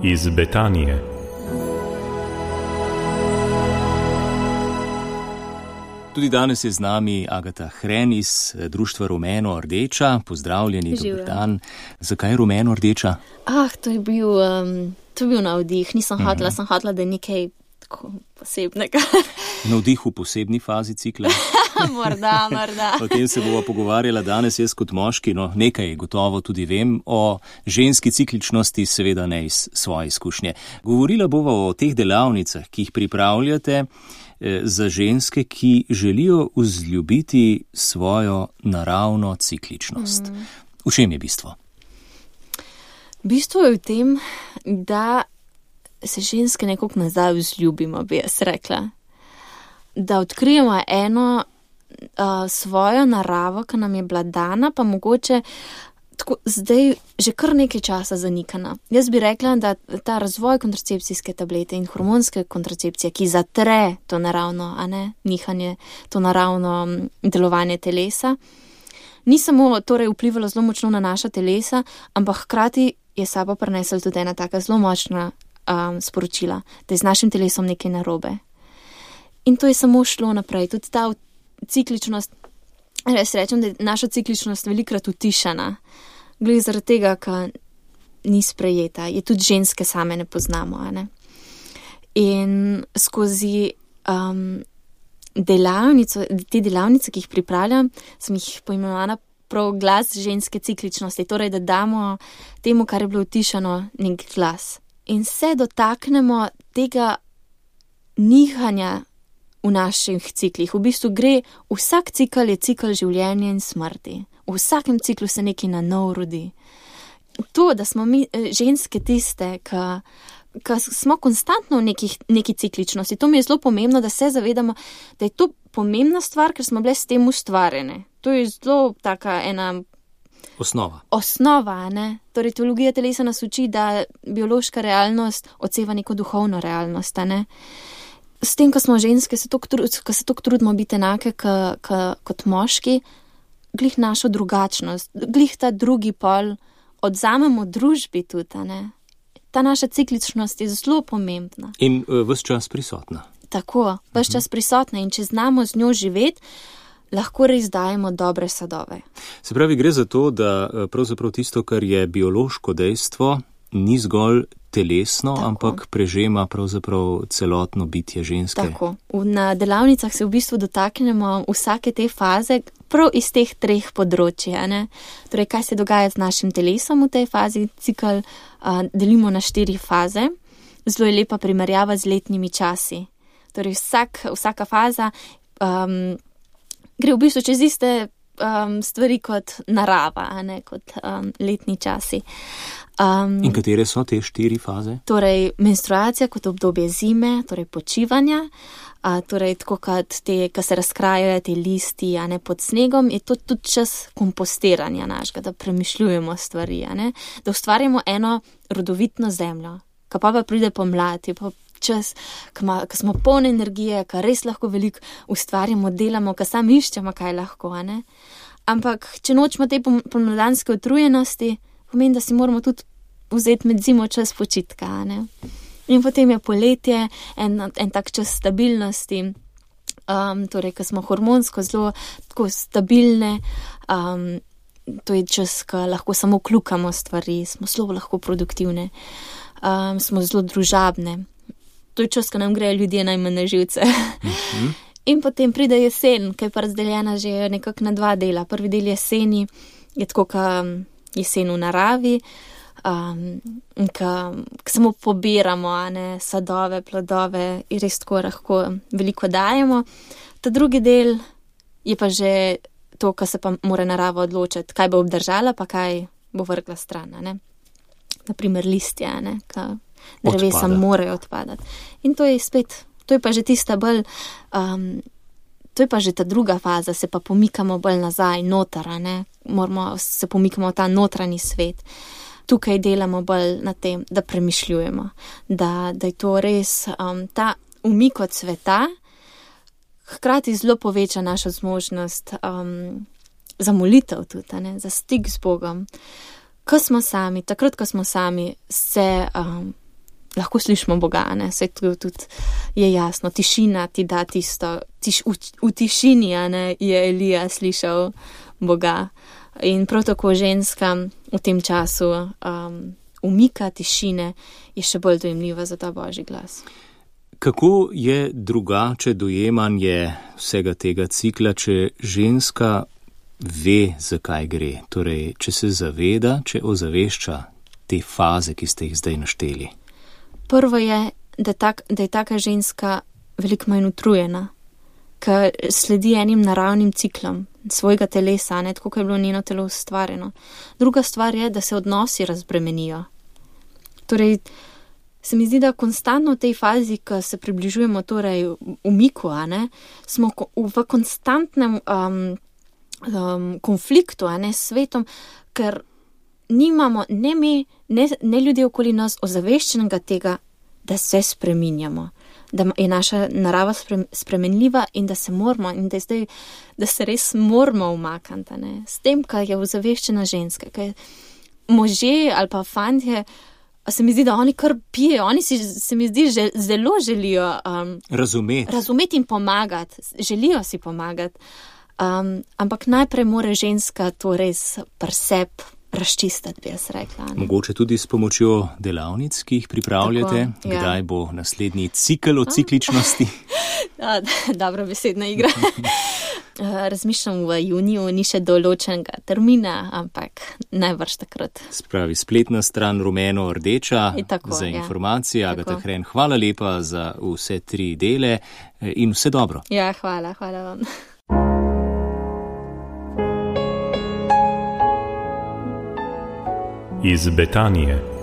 iz Betanije. Tudi danes je z nami Agata Hren iz društva Rumeno Rdeča. Pozdravljeni, dober dan. Zakaj Rumeno Rdeča? To je bil navdih. Nisem hotela, da je nekaj tako posebnega. Navdih v posebni fazi cikla? Morda. O tem se bova pogovarjala danes jaz kot moški, no nekaj gotovo tudi vem o ženski cikličnosti, seveda ne iz svoje izkušnje. Govorila bova o teh delavnicah, ki jih pripravljate za ženske, ki želijo vzljubiti svojo naravno cikličnost. V čem je bistvo? Bistvo je v tem, da se ženske nekako nazaj vzljubimo, bi jaz rekla. Da odkrijemo eno svojo naravo, ki nam je bila dana, pa mogoče tako zdaj že kar nekaj časa zanikana. Jaz bi rekla, da ta razvoj kontracepcijske tablete in hormonske kontracepcije, ki zatre to naravno, nihanje, to naravno delovanje telesa, ni samo torej vplivalo zelo močno na naša telesa, ampak hkrati je sabo prinesla tudi ena taka zelo močna sporočila, da je z našim telesom nekaj narobe. In to je samo šlo naprej. Tudi ta cikličnost, res rečem, da je naša cikličnost velikrat utišana. Glede zaradi tega, ker ni sprejeta. Je tudi ženske same ne poznamo. In skozi te delavnice, ki jih pripravljam, sem jih poimenovala prav glas ženske cikličnosti. Torej, da damo temu, kar je bilo utišano, nek glas. In se dotaknemo tega nihanja v naših ciklih. V bistvu gre, vsak cikl je cikl življenja in smrti. V vsakem ciklu se nekaj na nov rodi. To, da smo mi ženske tiste, ki smo konstantno v neki cikličnosti, to mi je zelo pomembno, da se zavedamo, da je to pomembna stvar, ker smo bile s tem ustvarjene. To je zelo taka ena Osnova, Torej, teologija telesa nas uči, da biološka realnost odseva neko duhovno realnost, S tem, ko smo ženske, ko se toliko trudimo biti enake kot moški, glih našo drugačnost, glih ta drugi pol odzamemo družbi tudi, Ta naša cikličnost je zelo pomembna. In ves čas prisotna. Tako, ves čas prisotna in če znamo z njo živeti, lahko res dajemo dobre sadove. Se pravi, gre za to, da pravzaprav tisto, kar je biološko dejstvo, ni zgolj telesno, tako, ampak prežema pravzaprav celotno bitje ženske. Tako. Na delavnicah se v bistvu dotaknemo vsake te faze, prav iz teh treh področij. Torej, kaj se dogaja z našim telesom v tej fazi, cikl delimo na 4 faze. Zelo je lepa primerjava z letnimi časi. Torej, vsaka faza gre v bistvu čez iste stvari kot narava, kot letni časi. In katere so te 4 faze? Torej, menstruacija kot obdobje zime, torej počivanja, torej tako kot ko se razkrajajo te listi, pod snegom, je to tudi čas kompostiranja našega, da premišljujemo stvari, da ustvarjamo eno rodovitno zemljo, ko pa pride pomlad, je pa čas, ko smo polne energije, ko res lahko veliko ustvarjamo, delamo, ko sami iščemo, kaj lahko, Ampak, če nočemo te pomladanske utrujenosti, pomeni, da si moramo tudi vzeti med zimo čas počitka, In potem je poletje, en tak čas stabilnosti, torej, ko smo hormonsko zelo tako stabilne, to je čas, ko lahko samo kljukamo stvari, smo zelo lahko produktivne, smo zelo družabne. To je čas, ko nam grejo ljudje najmanj na živce. In potem pride jesen, ki je pa razdeljena že nekako na 2 dela. Prvi del jeseni je tako, kot jesen v naravi, ko samo pobiramo sadove, plodove in res tako lahko veliko dajemo. Ta drugi del je pa že to, ko se pa mora narava odločiti, kaj bo obdržala, pa kaj bo vrgla stran. Naprimer listje, ko drevesa morajo odpadati. In to je spet, to je pa že tista bolj, to je pa že ta druga faza, se pa pomikamo bolj nazaj, noter, se pomikamo v ta notranji svet. Tukaj delamo bolj na tem, da premišljujemo, da je to res ta umik od sveta, hkrati zelo poveča našo zmožnost za molitev tudi, za stik z Bogom. Ko smo sami, takrat, ko smo sami, se lahko slišimo Boga, ne, vse tudi je jasno, tišina ti da tisto, v tišini, ne, je Elija slišal Boga. In prav tako ženska v tem času umika tišine je še bolj dojemljiva za ta Božji glas. Kako je drugače dojemanje vsega tega cikla, če ženska ve, zakaj gre? Torej, če se zaveda, če ozavešča te faze, ki ste jih zdaj našteli. Prvo je, da je taka ženska veliko manj utrujena, ker sledi enim naravnim ciklom svojega telesa, ne, tako kot je bilo njeno telo ustvarjeno. Druga stvar je, da se odnosi razbremenijo. Torej, se mi zdi, da konstantno v tej fazi, ko se približujemo torej umiku, ne, smo v konstantnem konfliktu, ne, s svetom, ker nimamo ne mi, ne ljudje okoli nas ozaveščenega tega, da se spreminjamo, da je naša narava spremenljiva in da se moramo, in da se res moramo umakniti, ne, s tem, kar je ozaveščena ženska, ker možje ali pa fantje, se mi zdi, da oni kar pijejo, oni se mi zdi, zelo želijo razumeti in pomagati, želijo si pomagati, ampak najprej mora ženska to res pri sebi razčistiti, bi jaz rekla. Ne? Mogoče tudi s pomočjo delavnic, ki jih pripravljate, tako, ja. Kdaj bo naslednji cikel o cikličnosti? Dobra besedna igra. Razmišljam v juniju, ni še določenega termina, ampak najbrž takrat. Spravi spletna stran rumeno-rdeča tako, za informacije. Agata Hren, hvala lepa za vse 3 dele in vse dobro. Ja, hvala vam. Iz Betanije.